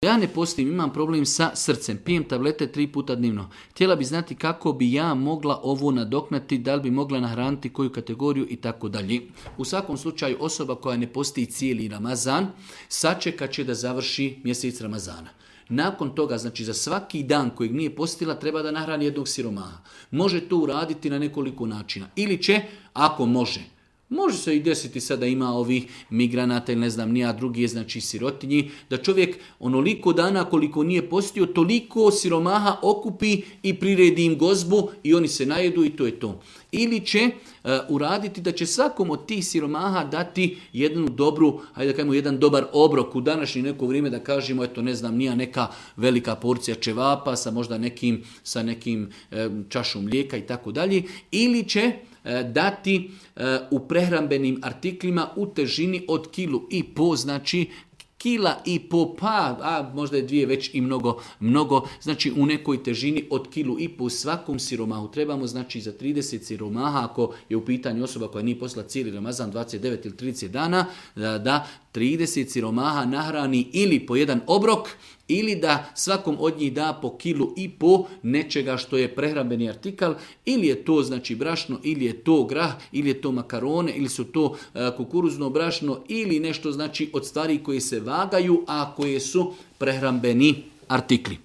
Ja ne postim, imam problem sa srcem, pijem tablete 3 puta dnevno. Htjela bi znati kako bi ja mogla ovo nadoknati, da li bi mogla nahraniti koju kategoriju i tako dalje. U svakom slučaju osoba koja ne posti cijeli Ramazan, sačekat će da završi mjesec Ramazana. Nakon toga, znači za svaki dan kojeg nije postila, treba da nahrani jednog siromaha. Može to uraditi na nekoliko načina. Ili će, ako može se i desiti sada ima ovih migranata ili ne znam nija drugi, znači sirotinji, da čovjek onoliko dana koliko nije postio, toliko siromaha okupi i priredi im gozbu i oni se najedu i to je to. Ili će uraditi da će svakom od tih siromaha dati jednu dobru, hajde da kažemo jedan dobar obrok u današnje neko vrijeme, da kažemo, eto ne znam, nija neka velika porcija čevapa sa možda nekim čašom mlijeka i tako dalje. Ili će dati u prehrambenim artiklima u težini od 1,5 kg, znači 1,5 kg, a možda je 2 već i mnogo, znači u nekoj težini od 1,5 kg svakom siromahu. Trebamo znači za 30 siromaha, ako je u pitanju osoba koja nije postila cijeli Ramazan 29 ili 30 dana, da 30 siromaha nahrani ili po jedan obrok, ili da svakom od njih da po 1,5 kg nečega što je prehrambeni artikal, ili je to znači brašno, ili je to grah, ili je to makarone, ili su to kukuruzno brašno, ili nešto znači od stvari koje se vagaju, a koje su prehrambeni artikli.